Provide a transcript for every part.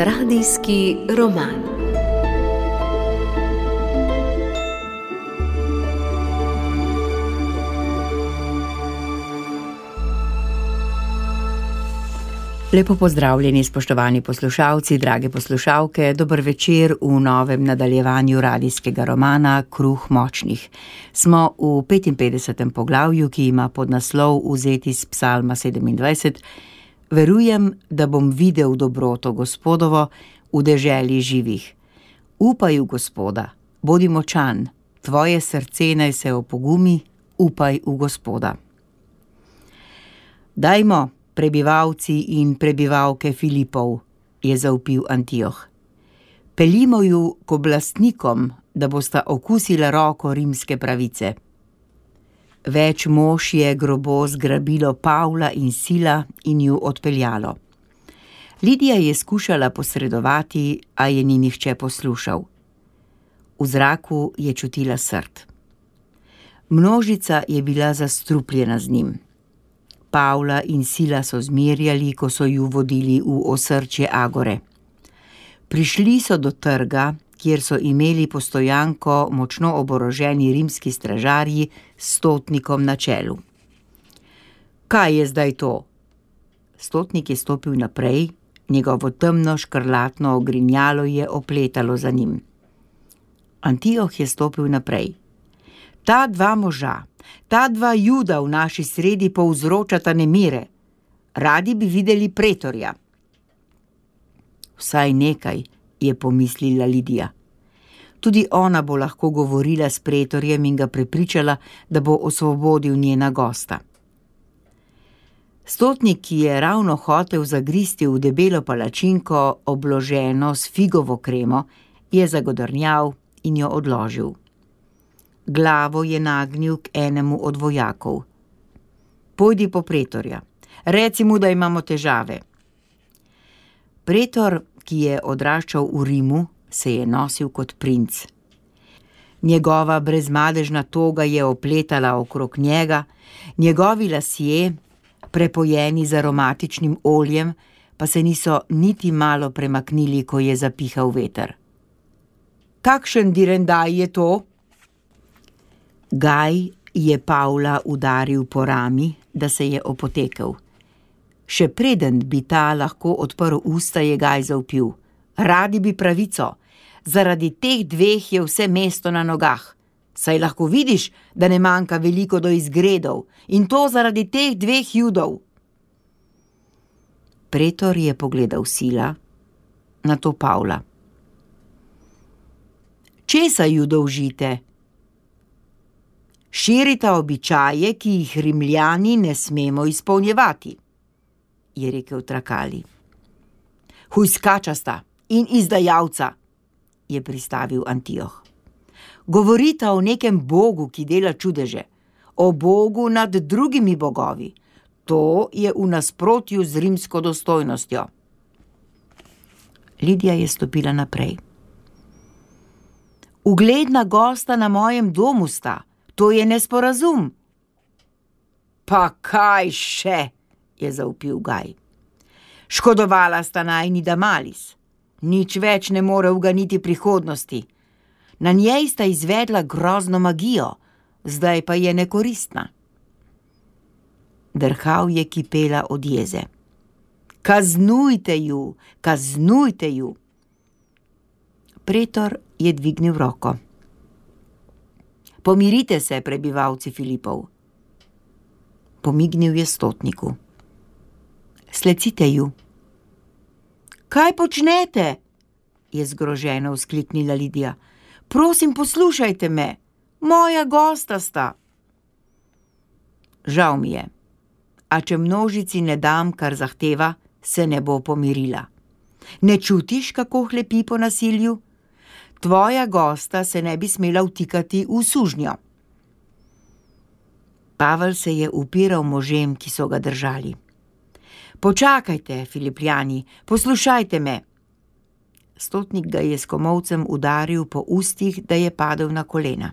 Radijski roman. Lepo pozdravljeni, spoštovani poslušalci, drage poslušalke, dober večer v novem nadaljevanju radijskega romana Kruh močnih. Smo v 55. poglavju, ki ima podnaslov vzeti iz Psalma 27. Verujem, da bom videl dobroto Gospodovo v deželi živih. Upaj v Gospoda, bodi močan, tvoje srce naj se opogumi, upaj v Gospoda. Dajmo, prebivalci in prebivalke Filipov, je zavpil Antioh. Peljimo ju k oblastnikom, da bosta okusila roko rimske pravice. Več mož je grobo zgrabilo Pavla in Sila in ju odpeljalo. Lidija je skušala posredovati, a je ni nihče poslušal. V zraku je čutila srd. Množica je bila zastrupljena z njim. Pavla in Sila so zmerjali, ko so ju vodili v osrčje Agore. Prišli so do trga, kjer so imeli postojanko močno oboroženi rimski stražarji s stotnikom na čelu. Kaj je zdaj to? Stotnik je stopil naprej, njegovo temno škrlatno ogrinjalo je opletalo za njim. Antioh je stopil naprej. Ta dva moža, ta dva Juda v naši sredi povzročata nemire. Radi bi videli pretorja. Vsaj nekaj, je pomislila Lidija. Tudi ona bo lahko govorila s pretorjem in ga prepričala, da bo osvobodil njena gosta. Stotnik, ki je ravno hotel zagristi v debelo palačinko, obloženo s figovo kremo, je zagodrnjal in jo odložil. Glavo je nagnil k enemu od vojakov. Pojdi po pretorja, reci mu, da imamo težave. Pretor, ki je odraščal v Rimu, se je nosil kot princ. Njegova brezmadežna toga je opletala okrog njega, njegovi lasje, prepojeni z aromatičnim oljem, pa se niso niti malo premaknili, ko je zapihal veter. Kakšen direndaj je to? Gaj je Pavla udaril po rami, da se je opotekel. Še preden bi ta lahko odprl usta, je Gaj zavpil. Radi bi pravico, zaradi teh dveh je vse mesto na nogah. Saj lahko vidiš, da ne manjka veliko do izgredov, in to zaradi teh dveh Judov. Pretor je pogledal Sila, nato Pavla. Česa ju dolžite? Širita običaje, ki jih Rimljani ne smemo izpolnjevati, je rekel Trakali. Hujskačasta in izdajalca, je pristavil Antioh. Govorita o nekem bogu, ki dela čudeže, o bogu nad drugimi bogovi. To je v nasprotju z rimsko dostojnostjo. Lidija je stopila naprej. Ugledna gosta na mojem domu sta, to je nesporazum. Pa kaj še, je zavpil Gaj. Škodovala sta najni Damalis. Nič več ne more uganiti prihodnosti. Na njej sta izvedla grozno magijo, zdaj pa je nekoristna. Drhal je kipela od jeze. Kaznujte ju, kaznujte ju. Pretor je dvignil roko. Pomirite se, prebivalci Filipov. Pomignil je stotniku. Slecite ju. Kaj počnete? Je zgroženo vzkliknila Lidija. Prosim, poslušajte me. Moja gosta sta. Žal mi je. A če množici ne dam, kar zahteva, se ne bo pomirila. Ne čutiš, kako hlepi po nasilju? Tvoja gosta se ne bi smela vtikati v sužnjo. Pavel se je upiral možem, ki so ga držali. Počakajte, Filipljani, poslušajte me. Stotnik ga je s komolcem udaril po ustih, da je padel na kolena.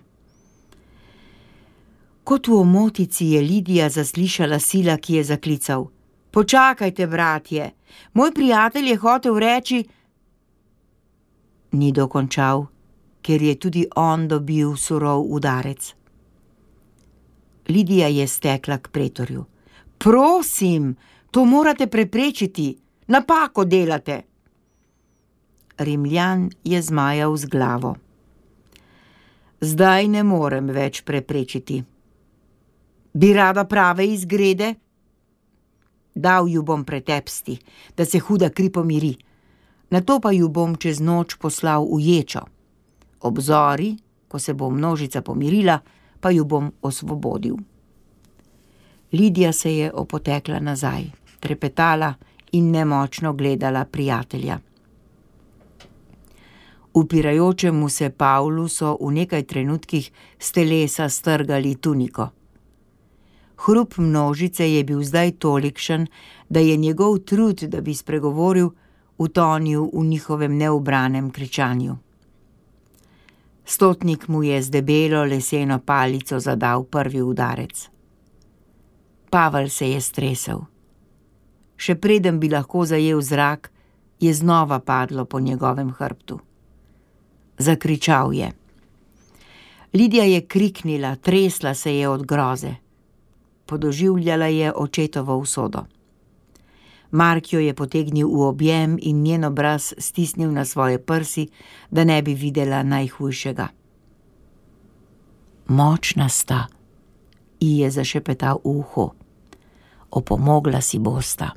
Kot v omotici je Lidija zaslišala Sila, ki je zaklical. Počakajte, bratje, moj prijatelj je hotel reči, Ni dokončal, ker je tudi on dobil surov udarec. Lidija je stekla k pretorju. Prosim, to morate preprečiti, napako delate. Rimljan je zmajal z glavo. Zdaj ne morem več preprečiti. Bi rada prave izgrede? Dal ju bom pretepsti, da se huda kri pomiri. Nato pa ju bom čez noč poslal v ječo. Ob zori, ko se bo množica pomirila, pa ju bom osvobodil. Lidija se je opotekla nazaj, trepetala in nemočno gledala prijatelja. Upirajočemu se Pavlu so v nekaj trenutkih s telesa strgali tuniko. Hrup množice je bil zdaj tolikšen, da je njegov trud, da bi spregovoril, utonil v njihovem neubranem kričanju. Stotnik mu je z debelo leseno palico zadal prvi udarec. Pavel se je stresel. Še preden bi lahko zajel zrak, je znova padlo po njegovem hrbtu. Zakričal je. Lidija je kriknila, tresla se je od groze. Podoživljala je očetovo usodo. Mark jo je potegnil v objem in njen obraz stisnil na svoje prsi, da ne bi videla najhujšega. Močna sta, ji je zašepetal v uho. Opomogla si bosta.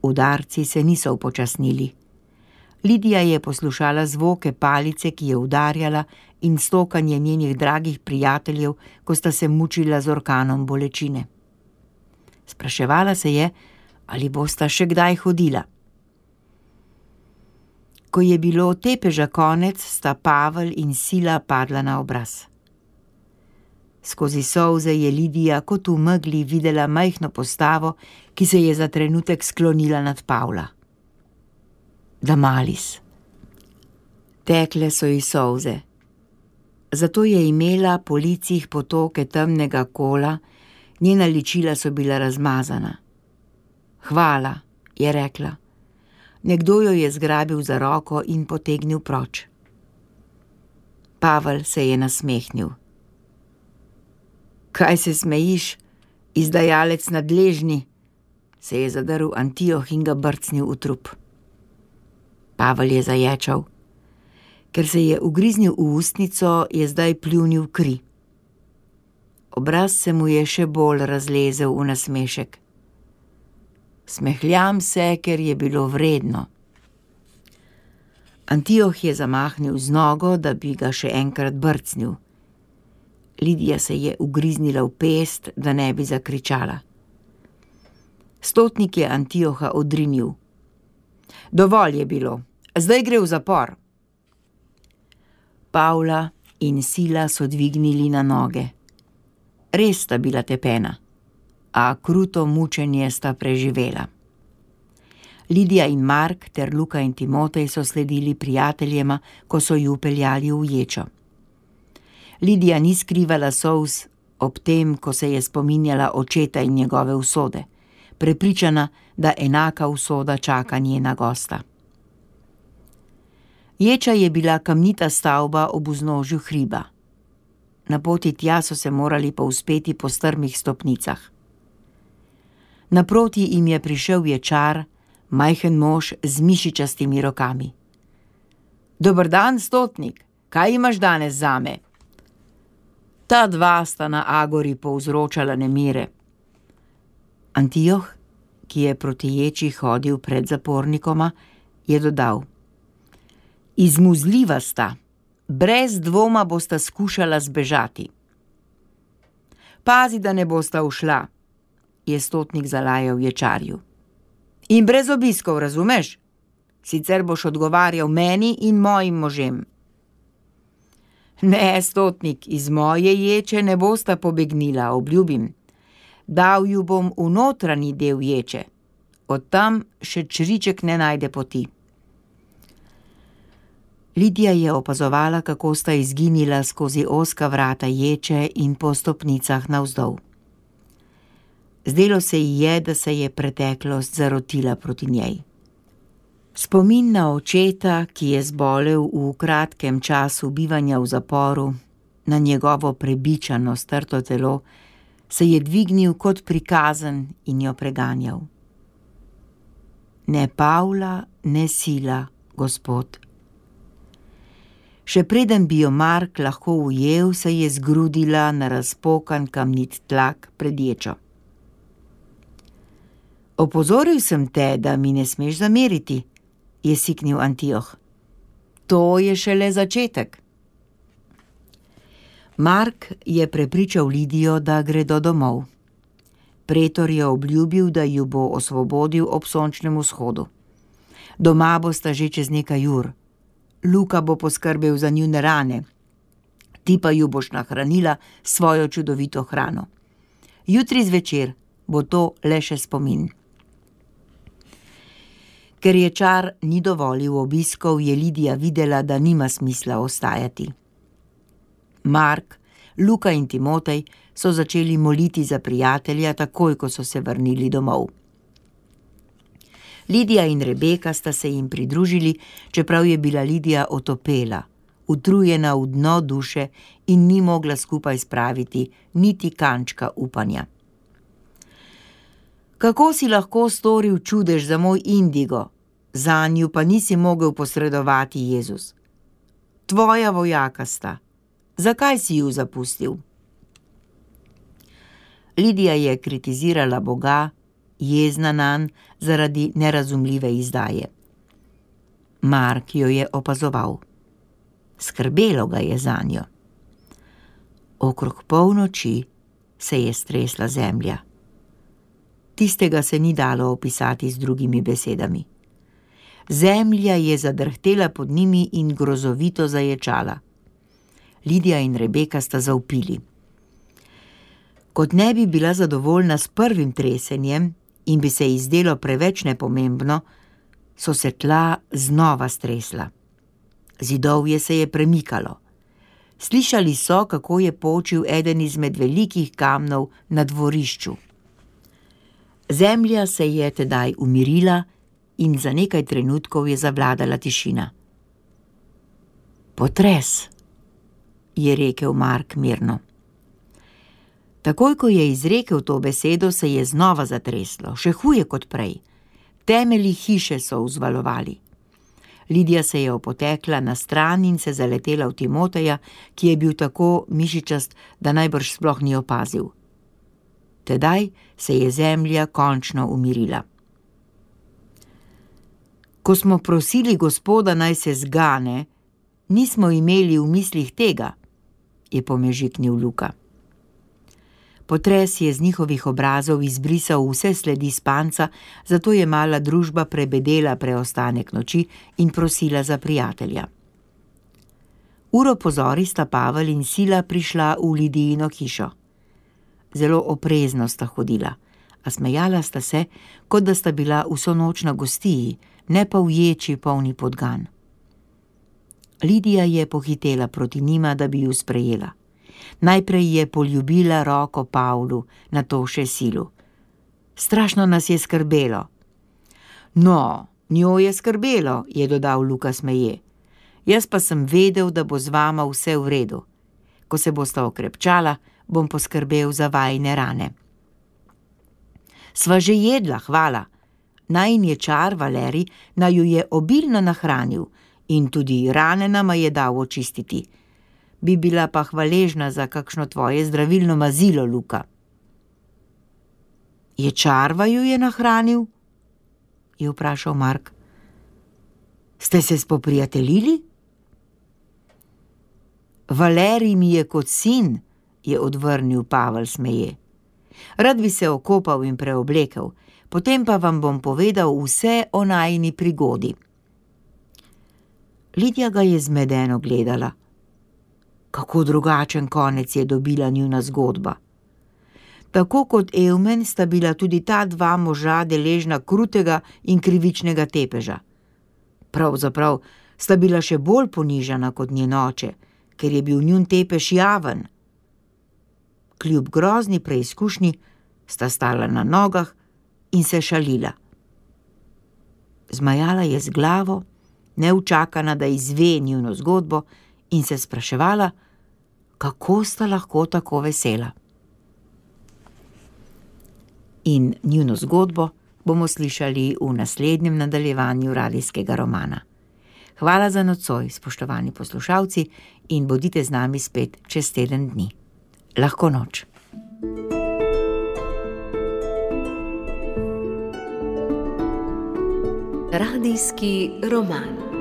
Udarci se niso upočasnili. Lidija je poslušala zvoke palice, ki je udarjala, in stokanje njenih dragih prijateljev, ko sta se mučila z orkanom bolečine. Spraševala se je, ali bosta še kdaj hodila. Ko je bilo tepeža konec, sta Pavel in Sila padla na obraz. Skozi solze je Lidija kot v megli videla majhno postavo, ki se je za trenutek sklonila nad Pavla. Damalis. Tekle so ji solze. Zato je imela po licih potoke temnega kola, njena ličila so bila razmazana. Hvala, je rekla. Nekdo jo je zgrabil za roko in potegnil proč. Pavel se je nasmehnil. Kaj se smejiš, izdajalec nadležni, se je zadrl Antioh in ga brcnil v trup. Pavel je zaječal. Ker se je ugriznil v ustnico, je zdaj pljunil kri. Obraz se mu je še bolj razlezel v nasmešek. Smehljam se, ker je bilo vredno. Antioh je zamahnil z nogo, da bi ga še enkrat brcnil. Lidija se je ugriznila v pest, da ne bi zakričala. Stotnik je Antioha odrinil. Dovolj je bilo, zdaj gre v zapor. Pavla in Sila so dvignili na noge. Res sta bila tepena, a kruto mučenje sta preživela. Lidija in Mark ter Luka in Timotej so sledili prijateljema, ko so ju peljali v ječo. Lidija ni skrivala solz ob tem, ko se je spominjala očeta in njegove usode, prepričana, da enaka usoda čaka njena gosta. Ječa je bila kamnita stavba ob vznožju hriba. Na poti tja so se morali povzpeti po strmih stopnicah. Naproti jim je prišel ječar, majhen mož z mišičastimi rokami. Dober dan, stotnik, kaj imaš danes zame? Ta dva sta na agori povzročala nemire. Antioh, ki je proti ječi hodil pred zapornikoma, je dodal. Izmuzljiva sta, brez dvoma bosta skušala zbežati. Pazi, da ne bosta ušla, je stotnik zalajal ječarju. In brez obiskov, razumeš? Sicer boš odgovarjal meni in mojim možem. Ne, stotnik, iz moje ječe ne bosta pobegnila, obljubim. Dal ju bom v notranji del ječe. Od tam še čriček ne najde poti. Lidija je opazovala, kako sta izginila skozi ozka vrata ječe in po stopnicah navzdol. Zdelo se ji je, da se je preteklost zarotila proti njej. Spomin na očeta, ki je zbolel v kratkem času bivanja v zaporu, na njegovo prebičano strto telo, se je dvignil kot prikazen in jo preganjal. Ne Pavla, ne sila, Gospod. Še preden bi jo Mark lahko ujel, se je zgrudila na razpokan kamnit tlak pred ječo. Opozoril sem te, da mi ne smeš zameriti, je siknil Antioh. To je šele začetek. Mark je prepričal Lidijo, da gredo domov. Pretor je obljubil, da ju bo osvobodil ob sončnem vzhodu. Doma bosta že čez nekaj ur. Luka bo poskrbel za njune rane. Ti pa ju boš nahranila s svojo čudovito hrano. Jutri zvečer bo to le še spomin. Ker je čar ni dovolil obiskov, je Lidija videla, da nima smisla ostajati. Mark, Luka in Timotej so začeli moliti za prijatelja takoj, ko so se vrnili domov. Lidija in Rebeka sta se jim pridružili, čeprav je bila Lidija otopela, utrujena v dno duše in ni mogla skupaj spraviti niti kančka upanja. Kako si lahko storil čudež za moj indigo, zanju pa nisi mogel posredovati, Jezus? Tvoja vojaka sta. Zakaj si ju zapustil? Lidija je kritizirala Boga, jezna nanj zaradi nerazumljive izdaje. Mark jo je opazoval. Skrbelo ga je zanjo. Okrog polnoči se je stresla zemlja. Tistega se ni dalo opisati z drugimi besedami. Zemlja je zadrhtela pod njimi in grozovito zaječala. Lidija in Rebeka sta zavpili. Kot ne bi bila zadovoljna s prvim tresenjem in bi se ji zdelo preveč nepomembno, so se tla znova stresla. Zidovje se je premikalo. Slišali so, kako je počil eden izmed velikih kamnov na dvorišču. Zemlja se je tedaj umirila in za nekaj trenutkov je zavladala tišina. Potres, je rekel Mark mirno. Takoj, ko je izrekel to besedo, se je znova zatreslo, še huje kot prej. Temelji hiše so vzvalovali. Lidija se je opotekla na stran in se zaletela v Timoteja, ki je bil tako mišičast, da najbrž sploh ni opazil. Tedaj se je zemlja končno umirila. Ko smo prosili Gospoda, naj se zgane, nismo imeli v mislih tega, je pomežiknil Luka. Potres je z njihovih obrazov izbrisal vse sledi spanca, zato je mala družba prebedela preostanek noči in prosila za prijatelja. Uro pozori sta Pavel in Sila prišla v Lidijino hišo. Zelo oprezno sta hodila, a smejala sta se, kot da sta bila vso noč na gostiji, ne pa v ječi polni podgan. Lidija je pohitela proti njima, da bi ju sprejela. Najprej je poljubila roko Pavlu, nato še Silu. Strašno nas je skrbelo. No, njo je skrbelo, je dodal Luka smeje. Jaz pa sem vedel, da bo z vama vse v redu. Ko se bosta okrepčala, bom poskrbel za vajine rane. Sva že jedla, hvala. Najin ječar Valerij naju je obilno nahranil in tudi rane nama je dal očistiti. Bi bila pa hvaležna za kakšno tvoje zdravilno mazilo, Luka. Ječar vaju je nahranil? Je vprašal Mark. Ste se spoprijateljili? Valerij mi je kot sin, je odvrnil Pavel smeje. Rad bi se okopal in preoblekel, potem pa vam bom povedal vse o najini prigodi. Lidija ga je zmedeno gledala. Kako drugačen konec je dobila njuna zgodba. Tako kot Evmen sta bila tudi ta dva moža deležna krutega in krivičnega tepeža. Pravzaprav sta bila še bolj ponižana kot njen oče, ker je bil njun tepež javen. Kljub grozni preizkušnji sta stala na nogah in se šalila. Zmajala je z glavo, neučakana, da izve njuno zgodbo, in se spraševala, kako sta lahko tako vesela. In njuno zgodbo bomo slišali v naslednjem nadaljevanju radijskega romana. Hvala za nocoj, spoštovani poslušalci, in bodite z nami spet čez teden dni. Lahko noč. Radijski roman.